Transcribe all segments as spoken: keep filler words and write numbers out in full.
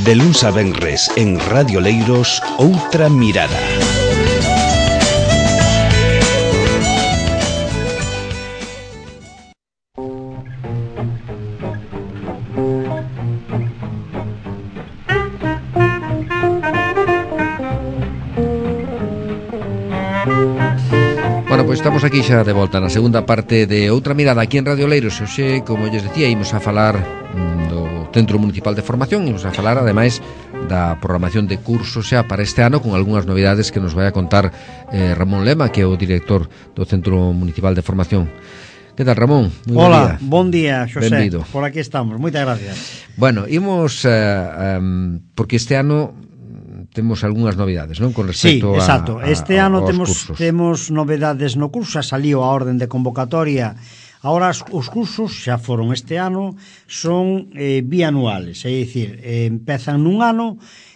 De luns a venres en Radio Leiros, Outra Mirada. Bueno, pois estamos aquí xa de volta na segunda parte de Outra Mirada aquí en Radio Leiros. Hoxe, como lles decía, imos a falar mm, do Centro Municipal de Formación, imos a falar ademais da programación de cursos xa para este ano, con algunhas novidades que nos vai a contar eh, Ramón Lema, que é o director do Centro Municipal de Formación. Que tal, Ramón? Muy Hola, bon día, Xosé. Benvido. Por aquí estamos, moitas gracias. Bueno, imos uh, um, porque este ano temos algunhas novidades, non? Con respecto sí, exacto. a, a, este ano aos temos cursos. Temos novedades no curso, xa saliu a orden de convocatoria. Ahora os cursos xa foron este ano, son eh, bianuales, é dicir, eh, empezan nun ano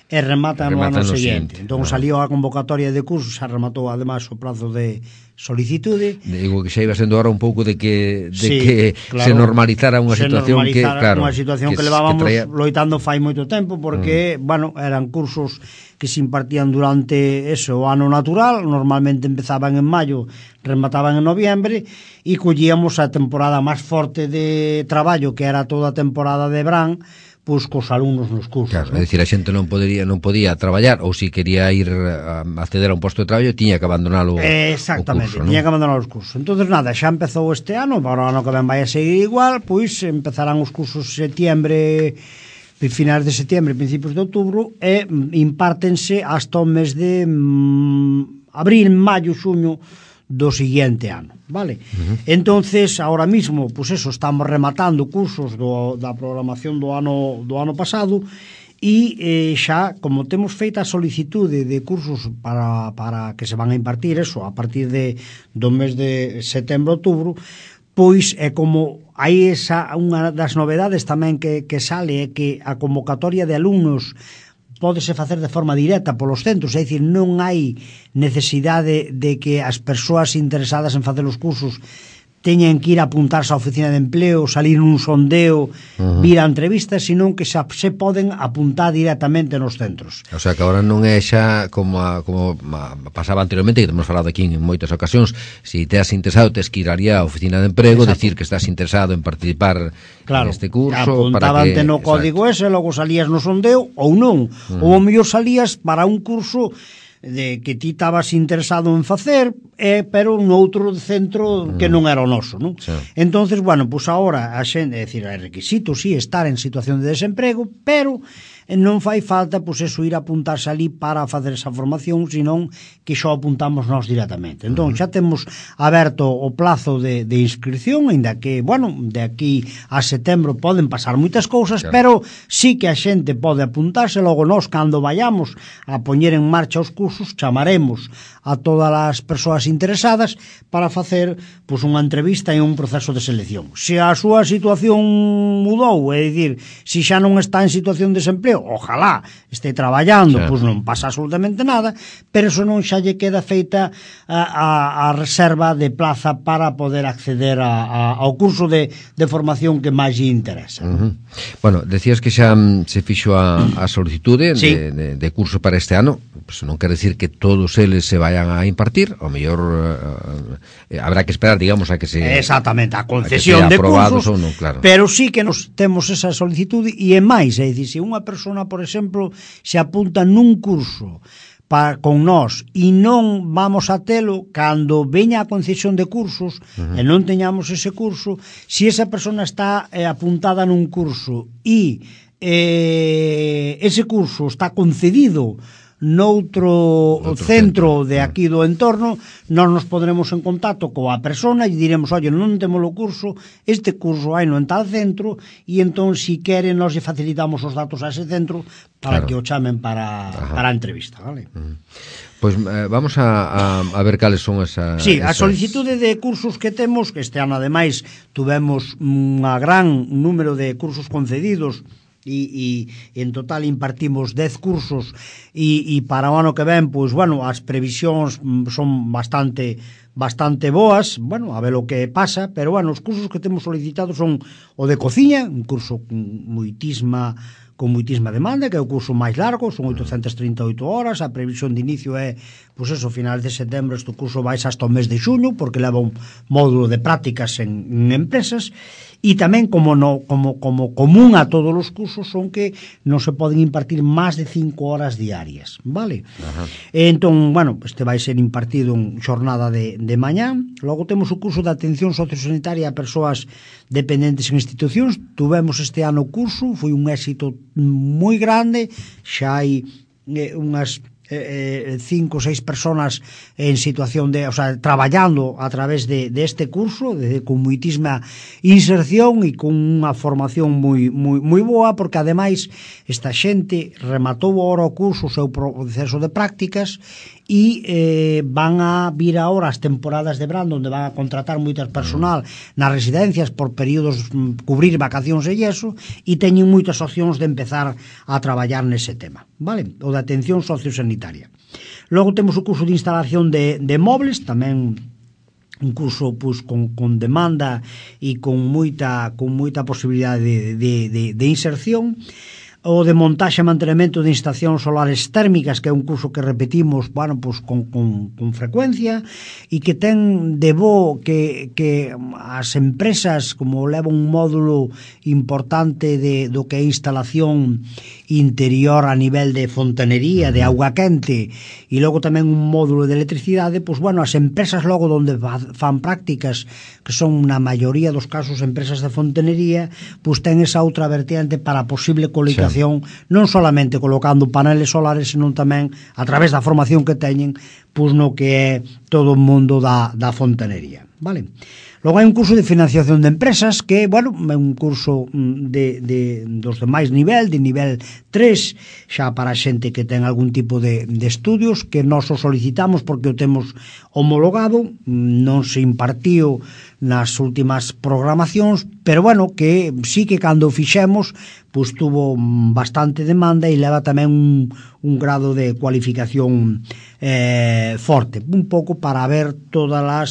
e rematan, rematan no ano no seguinte. Entón no. Saliu a convocatoria de cursos, xa rematou ademais o prazo de solicitude. Digo que xa iba sendo ahora un pouco de que de sí, que claro, se normalizara unha situación que, claro, unha situación que, que levábamos que traía... loitando fai moito tempo porque, mm. bueno, eran cursos que se impartían durante eso, o ano natural, normalmente empezaban en maio, remataban en noviembre e collíamos a temporada máis forte de traballo, que era toda a temporada de verán, pois cos alumnos nos cursos. Claro, ¿no? É dicir, a xente non podía non podía traballar, ou se quería ir a acceder a un posto de traballo, tiña que abandonar o, Exactamente, o curso, tiña ¿no? que abandonar os cursos. Entonces nada, xa empezou este ano, para o ano que ven vai a seguir igual, pois empezarán os cursos setiembre, finais de setiembre, principios de outubro, e impártense hasta o mes de mm, abril, maio, xuño do seguinte ano, vale? Uh-huh. Entonces, ahora mismo, pues eso, estamos rematando cursos do, da programación do ano do ano pasado e eh, xa, como temos feita a solicitude de cursos para, para que se van a impartir eso, a partir de do mes de setembro, outubro, pois é como hai esa, unha das novedades tamén que, que sale é que a convocatoria de alumnos pódese facer de forma directa polos centros, é dicir, non hai necesidade de que as persoas interesadas en facer os cursos teñen que ir a apuntarse á oficina de empleo, salir nun sondeo, uh-huh. vir a entrevistas, senón que xa se poden apuntar directamente nos centros. O sea, que agora non é xa como, a, como a, pasaba anteriormente, que temos falado aquí en moitas ocasións, se si te has interesado, tes que ir ali á oficina de emprego, exacto. Decir que estás interesado en participar claro, neste curso. Apuntabante para que, no código ese, logo salías no sondeo, ou non, uh-huh. ou ao mellor salías para un curso de que ti estabas interesado en facer, eh, pero noutro centro que non era o noso, non? Sí. Entonces, bueno, pois pues agora a xente, é dicir, é requisito, sí, estar en situación de desemprego, pero non fai falta, pois pues, eso, ir a apuntarse ali para facer esa formación, senón que xo apuntamos nós directamente. Entón, xa temos aberto o plazo de, de inscripción, ainda que, bueno, de aquí a setembro poden pasar moitas cousas, claro. Pero sí que a xente pode apuntarse, logo nós, cando vayamos a poñer en marcha os cursos, chamaremos a todas as persoas interesadas para facer, pois, unha entrevista e un proceso de selección. Se a súa situación mudou, é dicir, se xa non está en situación de desempleo, ojalá este traballando, claro. Pois non pasa absolutamente nada, pero eso non xa lle queda feita a, a, a reserva de plaza para poder acceder a, a, ao curso de, de formación que máis lle interesa. Uh-huh. Bueno, decías que xa se fixo a, a solicitude sí. de, de, de curso para este ano, pues non quere decir que todos eles se vayan a impartir, ao mellor uh, eh, habrá que esperar, digamos, a que se exactamente, a concesión a de cursos, ou non, claro. Pero sí que nos temos esa solicitude e é máis, é dicir, se unha persona, por exemplo, se apunta nun curso para, con nós e non vamos a telo cando veña a concesión de cursos uh-huh. e non teñamos ese curso, se esa persona está eh, apuntada nun curso e eh, ese curso está concedido noutro centro, centro de aquí do entorno, nós nos podremos en contacto coa persona e diremos, oye, non temos o curso, este curso hai no en tal centro, e entón, si quere, nós lle facilitamos os datos a ese centro para claro. Que o chamen para, para a entrevista, vale? Uh-huh. Pois eh, vamos a, a, a ver cales son esas... Sí, a solicitude de cursos que temos, que este ano, ademais, tuvemos un gran número de cursos concedidos, e, e en total impartimos dez cursos e, e para o ano que ven, pois, bueno, as previsións son bastante bastante boas, bueno, a ver o que pasa, pero, bueno, os cursos que temos solicitados son o de cociña, un curso con moitísima con moitísima demanda, que é o curso máis largo, son oitocentas trinta e oito horas, a previsión de inicio é, pois eso, finales de setembro, este curso vai hasta o mes de xuño, porque leva un módulo de prácticas en, en empresas, e tamén como, no, como, como común a todos os cursos son que non se poden impartir máis de cinco horas diarias, vale? Ajá. Entón, bueno, este vai ser impartido en xornada de, de mañán. Logo temos o curso de atención sociosanitaria a persoas dependentes en institucións. Tuvemos este ano o curso, foi un éxito moi grande, xa hai eh, unhas eh, cinco ou seis personas en situación de, o sea, traballando a través de, de este curso, de, con moitísima inserción e con unha formación moi, moi, moi boa, porque ademais esta xente rematou agora o curso, o seu proceso de prácticas, e eh, van a vir agora as temporadas de verán, onde van a contratar moitas personal nas residencias por períodos, cubrir vacacións e iso, e teñen moitas opcións de empezar a traballar nese tema, vale? O de atención sociosanitaria. Logo temos o curso de instalación de, de mobles, tamén un curso pues, con, con demanda e con moita, con moita posibilidade de, de, de, de inserción. O de montaxe e mantenimento de instalacións solares térmicas, que é un curso que repetimos, bueno, pues, con, con, con frecuencia, e que ten de bo que, que as empresas, como leva un módulo importante de, do que é instalación interior a nivel de fontanería, de auga quente, e logo tamén un módulo de electricidade, pues, bueno, as empresas logo donde fan prácticas, que son na maioría dos casos empresas de fontanería, pues ten esa outra vertiente para a posible coligación, sí, non solamente colocando paneles solares, senón tamén a través da formación que teñen, pois no que é todo o mundo da, da fontanería, vale? Logo hai un curso de financiación de empresas que, bueno, é un curso de, de, dos de máis nivel, de nivel tres, xa para a xente que ten algún tipo de, de estudios, que nós o solicitamos porque o temos homologado, non se impartiu nas últimas programacións, pero bueno, que sí que cando o fixemos, pois tuvo bastante demanda e leva tamén un, un grado de cualificación eh, forte, un pouco para ver todas as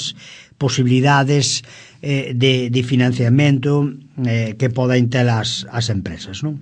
posibilidades eh, de, de financiamento eh, que poden ter as, as empresas, non?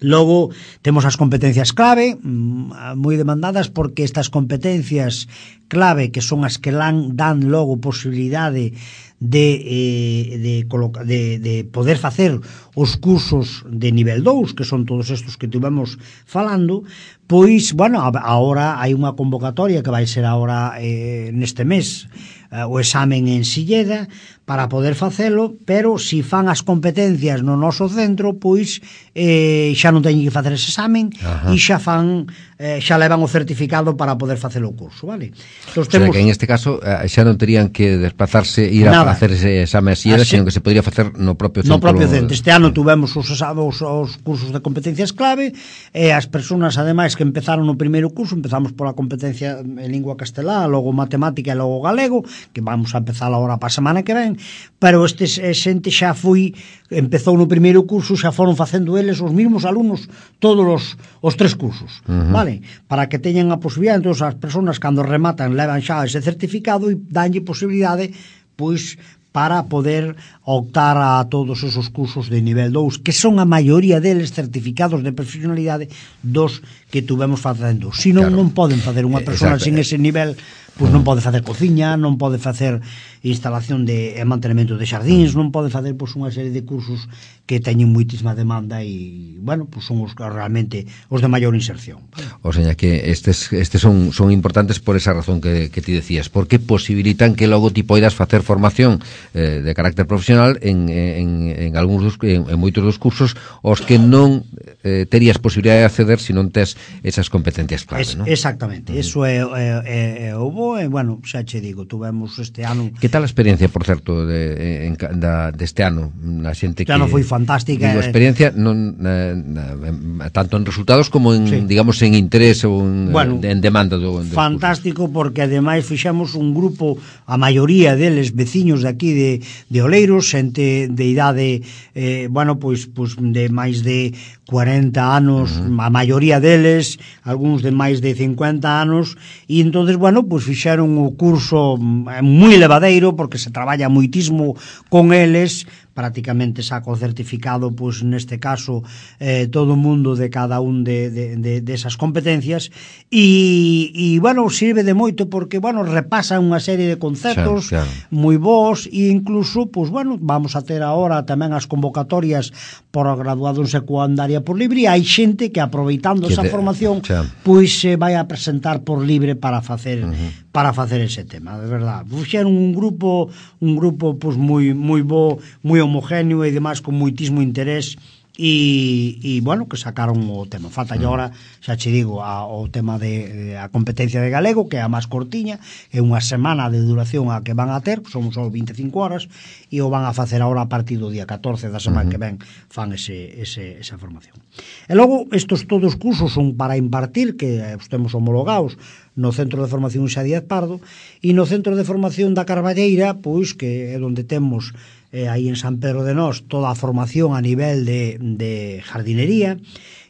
Logo temos as competencias clave, moi demandadas, porque estas competencias clave, que son as que dan, dan logo posibilidade de, eh, de, de, de poder facer os cursos de nivel dous, que son todos estos que tivemos falando, pois, bueno, agora hai unha convocatoria que vai ser agora eh, neste mes, eh, o examen en Silleda, para poder facelo, pero se si fan as competencias no noso centro, pois eh, xa non teñen que facer ese examen. Ajá. E xa fan, eh, xa levan o certificado para poder facer o curso, vale? Entón, temos... O sea, que en este caso eh, xa non terían que desplazarse, ir Nada. a facer ese exame así, Así... sino que se podría facer no propio centro. No propio centro. Este ano tuvemos os, os, os cursos de competencias clave, e as persoas, ademais, que empezaron no primeiro curso, empezamos pola competencia en lingua castelá, logo matemática e logo galego, que vamos a empezar agora para a semana que ven, pero este xente xa foi, empezou no primeiro curso, xa foron facendo eles os mesmos alumnos todos os, os tres cursos, uh-huh. vale? Para que teñan a posibilidade, entón as persoas cando rematan levan xa ese certificado e danlle posibilidade, pois, para poder optar a todos esos cursos de nivel dous, que son a maioría deles certificados de profesionalidade dos que tuvemos facendo. Si non, claro. non poden facer unha persona sin ese nivel, pois non pode facer cociña, non pode facer instalación de e mantenimento de xardíns, non pode facer pois unha serie de cursos que teñen moitísima demanda e, bueno, pois son os realmente os de maior inserción. O sea, que estes estes son son importantes por esa razón que que ti decías, porque posibilitan que logo ti poidas facer formación eh, de carácter profesional en en en algúns dos en, en moitos dos cursos os que non eh, terías posibilidade de acceder se non tes esas competencias clave, es, ¿no? Exactamente, uh-huh. Eso é, é, é o bo, e, bueno, xa che digo, tuvemos este ano... Que tal a experiencia, por certo, de, en, da, deste ano? Na xente que... Este ano foi fantástica. Digo, experiencia, non, na, na, tanto en resultados como en, sí. digamos, en interés ou en, bueno, en demanda do, do fantástico, curso. Porque ademais fixemos un grupo, a maioría deles veciños de aquí de, de Oleiros, xente de idade, eh, bueno, pois, pois de máis de cuarenta anos, uh-huh. a maioría deles, algúns de máis de cincuenta anos, e entonces, bueno, pois fixeron o curso moi levadeiro, porque se traballa moitísimo con eles, prácticamente saca o certificado, pois neste caso eh, todo o mundo de cada un de, de, de, de esas competencias e, e bueno, sirve de moito porque, bueno, repasa unha serie de conceptos claro, claro. moi bons e incluso, pois bueno, vamos a ter agora tamén as convocatorias por graduado en secundaria por libre e hai xente que aproveitando que esa de, formación xa. pois se vai a presentar por libre para facer uh-huh. para facer ese tema, de verdad. Fuxeron un grupo, un grupo pois moi moi bo, moi homogéneo e demais con moitísimo interés e, e bueno, que sacaron o tema. Falta mm. agora, xa che digo, a, o tema de, de a competencia de galego, que é a máis cortiña, é unha semana de duración a que van a ter, son só vinte e cinco horas, e o van a facer agora a partir do día catorce da semana mm-hmm. que ven, fan ese, ese, esa formación. E logo, estos todos cursos son para impartir, que os temos homologados no Centro de Formación Xa Díaz Pardo, e no Centro de Formación da Carballeira, pois, que é onde temos eh, aí en San Pedro de Nós toda a formación a nivel de, de jardinería.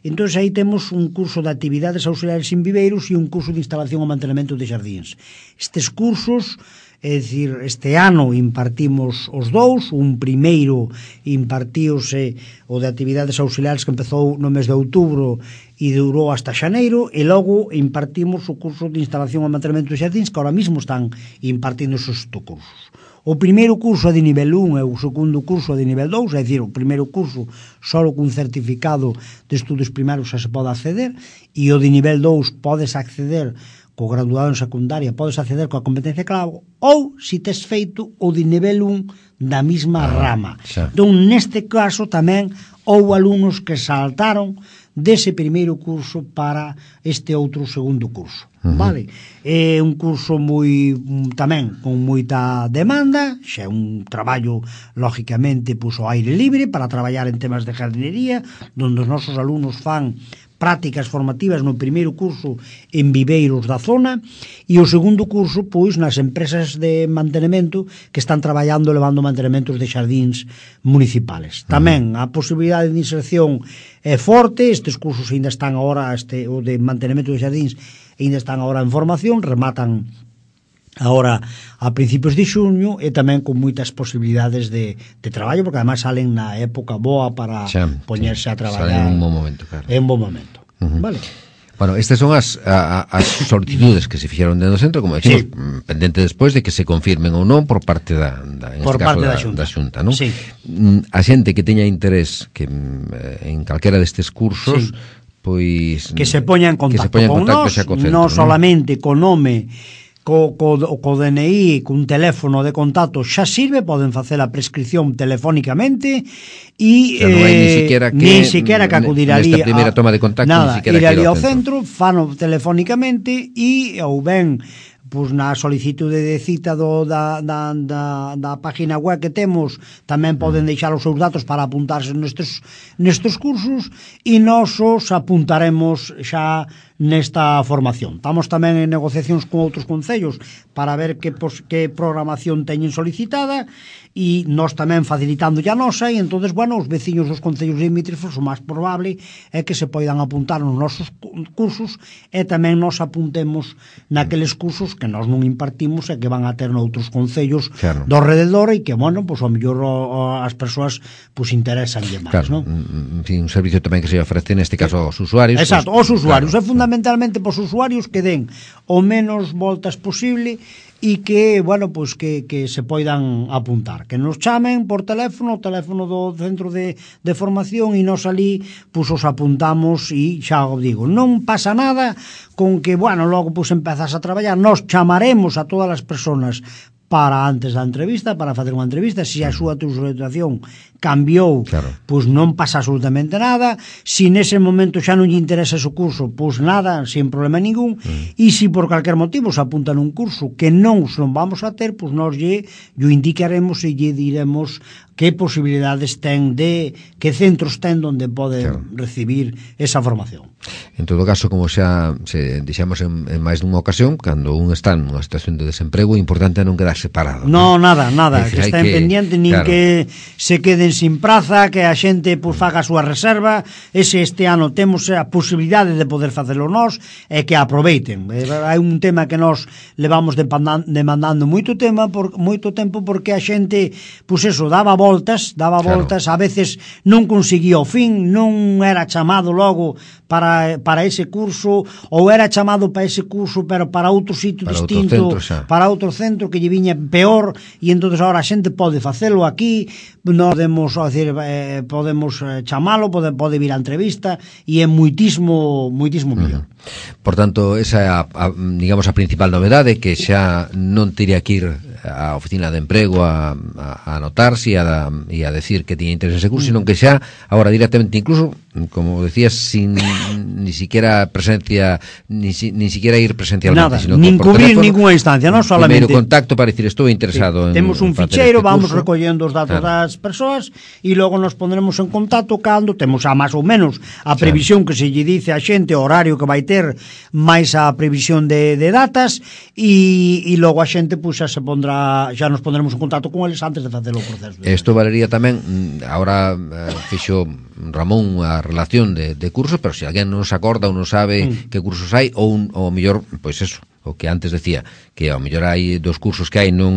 Entón aí temos un curso de actividades auxiliares en viveiros e un curso de instalación e mantenimento de xardíns. Estes cursos, é dicir, este ano impartimos os dous, un primeiro impartíose o de actividades auxiliares que empezou no mes de outubro e durou hasta xaneiro, e logo impartimos o curso de instalación e mantenimento de xardíns, que ahora mismo están impartindo esos cursos. O primeiro curso é de nivel un e o segundo curso é de nivel dous, é dicir, o primeiro curso só cun certificado de estudos primarios xa se pode acceder, e o de nivel dous podes acceder co graduado en secundaria, podes acceder coa competencia clave, ou se tes feito o de nivel un da mesma ah, rama. Xa. Entón, neste caso tamén houve alumnos que saltaron dese primeiro curso para este outro segundo curso. Uh-huh. Vale? É un curso moi tamén con moita demanda, xa é un traballo lógicamente pois ao aire libre para traballar en temas de jardinería, onde os nosos alumnos fan prácticas formativas no primeiro curso en viveiros da zona e o segundo curso pois nas empresas de mantenimento que están traballando levando mantenementos de xardíns municipales. Tamén a posibilidade de inserción é forte, estes cursos ainda están agora, este, o de mantenimento de xardíns ainda están agora en formación, rematan agora a principios de xuño e tamén con moitas posibilidades de, de traballo, porque además salen na época boa para xa, poñerse sí, a traballar. Salen en un bom momento, claro. En un bom momento. Uh-huh. Vale. Bueno, estas son as, a, as solicitudes que se fixeron dentro do centro, como decimos, sí. pendente despois de que se confirmen ou non por parte da, da en por este parte caso, da, Xunta. da Xunta, non? Sí. A xente que teña interés que en calquera destes cursos, sí. pois que se poña en contacto, poña en con contacto nós, co centro, non solamente co nome, co, co, co D N I, cun teléfono de contacto xa sirve, poden facer a prescripción telefónicamente e o sea, non hai ni siquiera que, ni siquiera que acudir ali nesta primeira toma de contacto, nada, ni siquiera ir ali ao centro, fano telefónicamente e ou ben pois na solicitude de cita do, da, da, da, da página web que temos tamén poden deixar os seus datos para apuntarse nestes, nestes cursos e nós os apuntaremos xa nesta formación. Estamos tamén en negociacións con outros concellos para ver que, pos, que programación teñen solicitada e nós tamén facilitando a nosa e entonces, bueno, os veciños dos concellos limítrofes o máis probable é que se poidan apuntar nos nosos cursos e tamén nos apuntemos naqueles cursos que nós non impartimos e que van a ter noutros concellos claro. do alrededor e que, bueno, pois, ao mellor as persoas pois, interesan máis, claro. non? En fin, un servicio tamén que se ofrece neste caso aos usuarios. Exacto, pues, aos usuarios, claro. é fundamentalmente pos usuarios que den o menos voltas posible e que, bueno, pois que, que se poidan apuntar, que nos chamen por teléfono, o teléfono do centro de, de formación e nos ali, pois os apuntamos e xa o digo, non pasa nada con que, bueno, logo pois empezas a traballar, nos chamaremos a todas as persoas para antes da entrevista, para facer unha entrevista, se a súa situación cambiou, claro. pois non pasa absolutamente nada, se nese momento xa non lle interesa ese curso, pois nada, sin problema ningún, mm. e se por calquer motivo se apuntan un curso que non non vamos a ter, pois nós lle, lle indicaremos e lle diremos que posibilidades ten de, que centros ten onde poden claro. recibir esa formación. En todo caso, como xa se dixemos en, en máis dunha ocasión, cando un está nunha situación de desemprego, é importante non quedar separado. No, ¿no? nada, nada, decir, que está que, pendiente, nin claro. que se queden sin praza, que a xente pues, faga a súa reserva, ese este ano temos a posibilidade de poder facelo nós, e que aproveiten. Hai un tema que nós levamos demandando moito tema, por, moito tempo, porque a xente, pois pues eso, daba voltas, daba claro. voltas, a veces non conseguía o fin, non era chamado logo para, para ese curso, ou era chamado para ese curso, pero para outro sitio para distinto, outro centro, para outro centro que lle viña peor, e entonces ahora a xente pode facelo aquí, nós podemos, decir, eh, podemos chamalo, pode, pode vir a entrevista, e é moitismo, moitismo mellor. Uh-huh. Por tanto, esa é a, a, digamos, a principal novedade, que xa non teria que ir á oficina de emprego a, a, a anotarse e a, e a decir que tiña interés en ese curso, mm. sino que xa, agora directamente, incluso, como decías, sin ni siquiera presencia, ni, si, ni siquiera ir presencialmente, Nada, sino nin que por cubrir teléfono, ninguna instancia, non solamente primeiro contacto para decir estou interesado sí, en temos un facer ficheiro, este vamos curso. recollendo os datos claro. das persoas e logo nos pondremos en contacto cando temos a máis ou menos a previsión claro. que se lle dice a xente, o horario que vai ter, máis a previsión de, de datas e, e logo a xente pues, xa se pondrá, xa nos pondremos en contacto con eles antes de facer o proceso. Isto valería tamén, agora eh, fixo Ramón a relación de, de cursos, pero se alguén non se acorda ou non sabe mm. que cursos hai, ou, un, ou mellor, pois eso, o que antes decía, que ao mellor hai dos cursos que hai non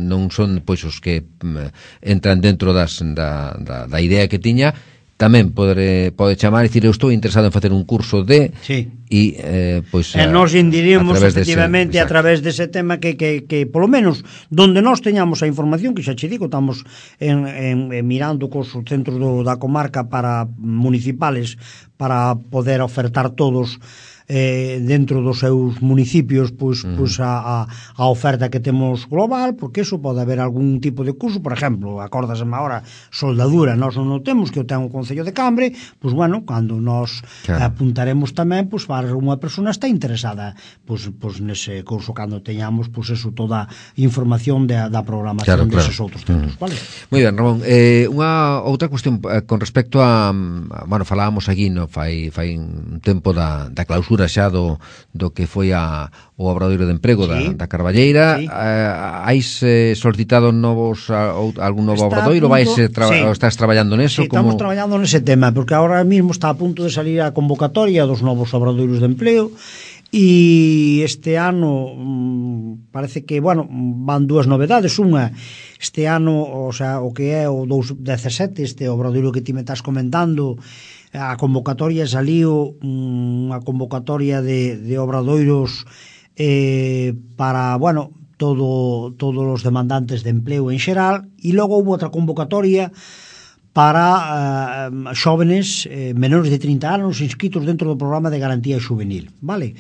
non son pois os que um, entran dentro das, da, da, da idea que tiña, tamén pode, pode chamar e dicir eu estou interesado en facer un curso de sí. e eh, pois e nos indirimos efectivamente dese, a través dese tema que, que, que polo menos donde nós teñamos a información, que xa che digo, estamos en, en, en mirando cos centros do, da comarca para municipales para poder ofertar todos eh, dentro dos seus municipios pois, uh-huh. pois a, a, a oferta que temos global, porque eso pode haber algún tipo de curso, por exemplo, acórdaseme agora soldadura, nós non o temos, que o ten o Concello de Cambre, pois bueno, cando nos claro. apuntaremos tamén, pois para unha persona está interesada pois, pois nese curso, cando teñamos pois eso, toda a información de, da programación claro, deses claro. outros centros, uh-huh. vale? Moi ben, Ramón, eh, unha outra cuestión eh, con respecto a, a bueno, falábamos aquí, no, fai, fai un tempo da, da clausura xa do, do que foi a, o obradoiro de emprego sí. da, da Carballeira. Sí. Uh, Hais eh, solicitado novos a, algún novo está obradoiro? Vais, tra sí. estás traballando neso? Sí, como... estamos traballando nese tema, porque ahora mismo está a punto de salir a convocatoria dos novos obradoiros de empleo e este ano mmm, parece que, bueno, van dúas novedades. Unha, este ano, o sea, o que é o dous mil dezasete, este obradoiro que ti me estás comentando, a convocatoria saliu unha convocatoria de, de obradoiros eh, para, bueno, todo, todos os demandantes de empleo en xeral, e logo houve outra convocatoria para uh, xóvenes eh, menores de trinta anos inscritos dentro do programa de garantía juvenil, vale?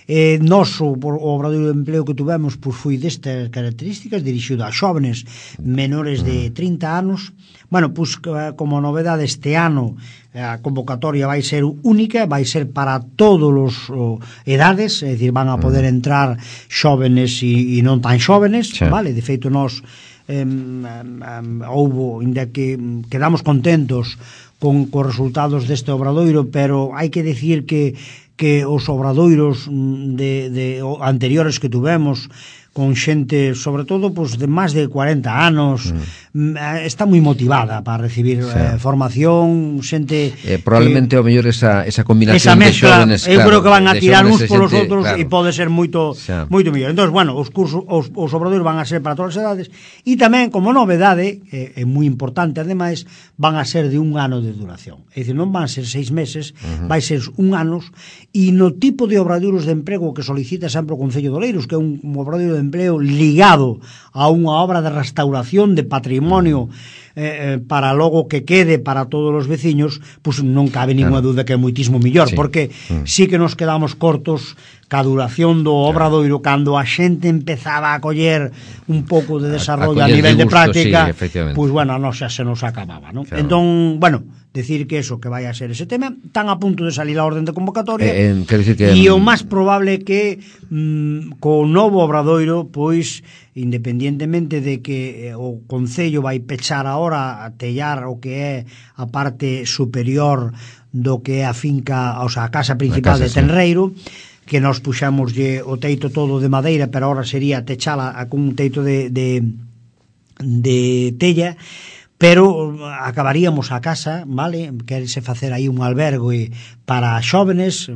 Eh, nos, o, o obradoiro de empleo que tuvemos pois, foi destas características, dirixido a xóvenes menores de trinta anos. Bueno, pois como novedade este ano a convocatoria vai ser única, vai ser para todos os o, edades, é dicir, van a poder entrar xóvenes e, e non tan xóvenes, sí. vale? De feito, nós eh, um, houbo, inda que quedamos contentos con os resultados deste obradoiro, pero hai que decir que que os obradoiros de, de anteriores que tuvemos con xente, sobre todo, pues, de máis de cuarenta anos, mm. está moi motivada para recibir sí. eh, formación, xente... Eh, probablemente, que, ao mellor, esa, esa combinación esa mezcla, de xóvenes... Eu claro, creo que van a tirar uns polos xente, outros claro. e pode ser moito xa. moito mellor. Entón, bueno, os cursos, os, os obradoiros van a ser para todas as edades e tamén, como novedade, é, é moi importante, ademais, van a ser de un ano de duración. É dicir, non van a ser seis meses, uh-huh. vai ser un anos, e no tipo de obradoiros de emprego que solicita sempre o Concello de Oleiros, que é un, un obradoiro de empleo ligado a unha obra de restauración de patrimonio eh, para logo que quede para todos os veciños, pois pues non cabe ninguna claro. dúda que é moitísimo millor, sí. porque mm. sí que nos quedamos cortos ca duración do obradoiro claro. cando a xente empezaba a coller un pouco de desarrollo a, a, a nivel de, gusto, de práctica, sí, pois pues, bueno, non xa se nos acababa, ¿no? Claro. Entón, bueno, decir que eso, que vai a ser ese tema, tan a punto de salir a orden de convocatoria, eh, eh, decir que... e o máis probable que mm, co novo obradoiro, pois, independientemente de que eh, o Concello vai pechar agora a tellar o que é a parte superior do que é a finca, o sea, a casa principal a casa, de Tenreiro, sí. que nos puxamoslle o teito todo de madeira, pero agora sería techala con un teito de, de, de tella, pero acabaríamos a casa, vale, querese facer aí un albergue para xóvenes,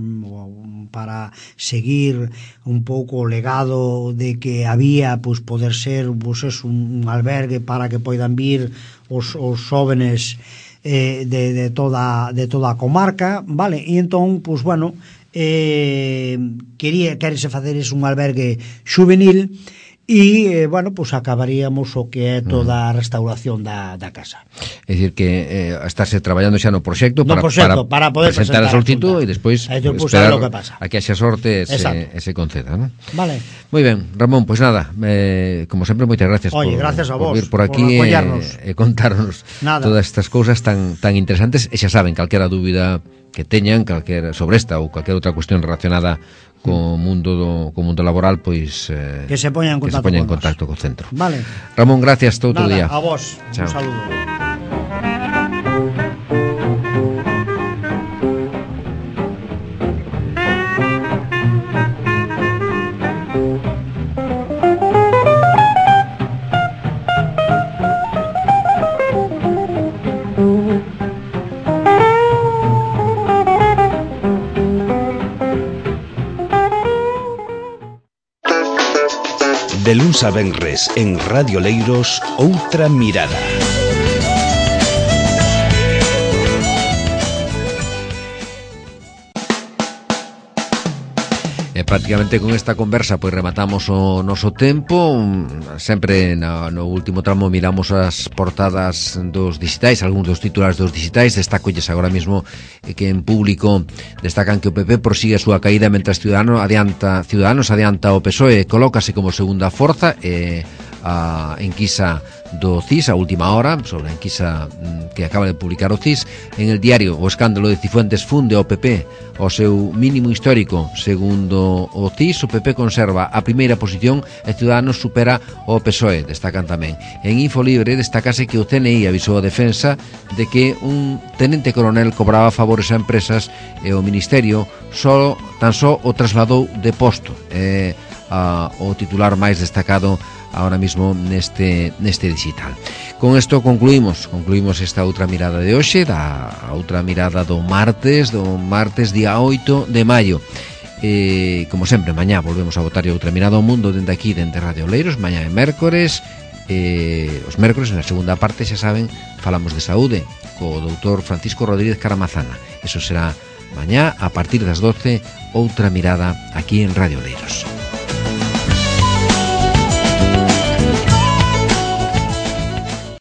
para seguir un pouco o legado de que había, pois, poder ser, pois, eso, un albergue para que poidan vir os, os xóvenes eh, de, de, toda, de toda a comarca, vale, e entón, pois, bueno, eh, quería, querese facer un albergue juvenil, e, eh, bueno, pues acabaríamos o que é toda a restauración da, da casa. É dicir que eh, estarse traballando xa no proxecto, no para, proxecto, para, para poder presentar a solicitud e despois esperar lo que pasa. a que haxa sorte e se, e se conceda, ¿no? Vale. Moi ben, Ramón, pois pues nada, eh, como sempre, moitas gracias. Oye, por, gracias a vos, por vir por aquí por e eh, eh, contarnos nada. todas estas cousas tan tan interesantes, e xa saben, calquera dúbida que teñan, calquera sobre esta ou calquera outra cuestión relacionada co mundo do co mundo laboral, pois eh, que se poña en contacto, se poña en con contacto co centro. Vale. Ramón, gracias, todo outro Nada, día. A vos, chao. Un saludo. De luns a venres en Radio Leiros, Outra Mirada. E prácticamente con esta conversa pois rematamos o noso tempo. Sempre no, no último tramo miramos as portadas dos digitais, algúns dos titulares dos digitais. Destacolles agora mesmo que en público destacan que o P P prosigue a súa caída mentre Ciudadanos adianta, Ciudadanos adianta o P S O E, colócase como segunda forza e a enquisa do C I S, a última hora, sobre a enquisa que acaba de publicar o C I S. En el diario, o escándalo de Cifuentes funde ao P P ao seu mínimo histórico. Segundo o C I S, o P P conserva a primeira posición e Ciudadanos supera o P S O E, destacan tamén. En Infolibre destacase que o C N I avisou a defensa de que un tenente coronel cobraba favores a empresas e o Ministerio só, tan só o trasladou de posto. É a, o titular máis destacado ahora mismo neste neste digital. Con isto concluímos, concluímos esta outra mirada de hoxe, da outra mirada do martes, do martes día oito de maio. E, como sempre, mañá volvemos a botar outra mirada ao mundo dende aquí, dende Radio Oleiros. Mañá é mércores, e os mércores, na segunda parte, xa saben, falamos de saúde co doutor Francisco Rodríguez Caramazana. Eso será mañá a partir das doce, outra mirada aquí en Radio Oleiros.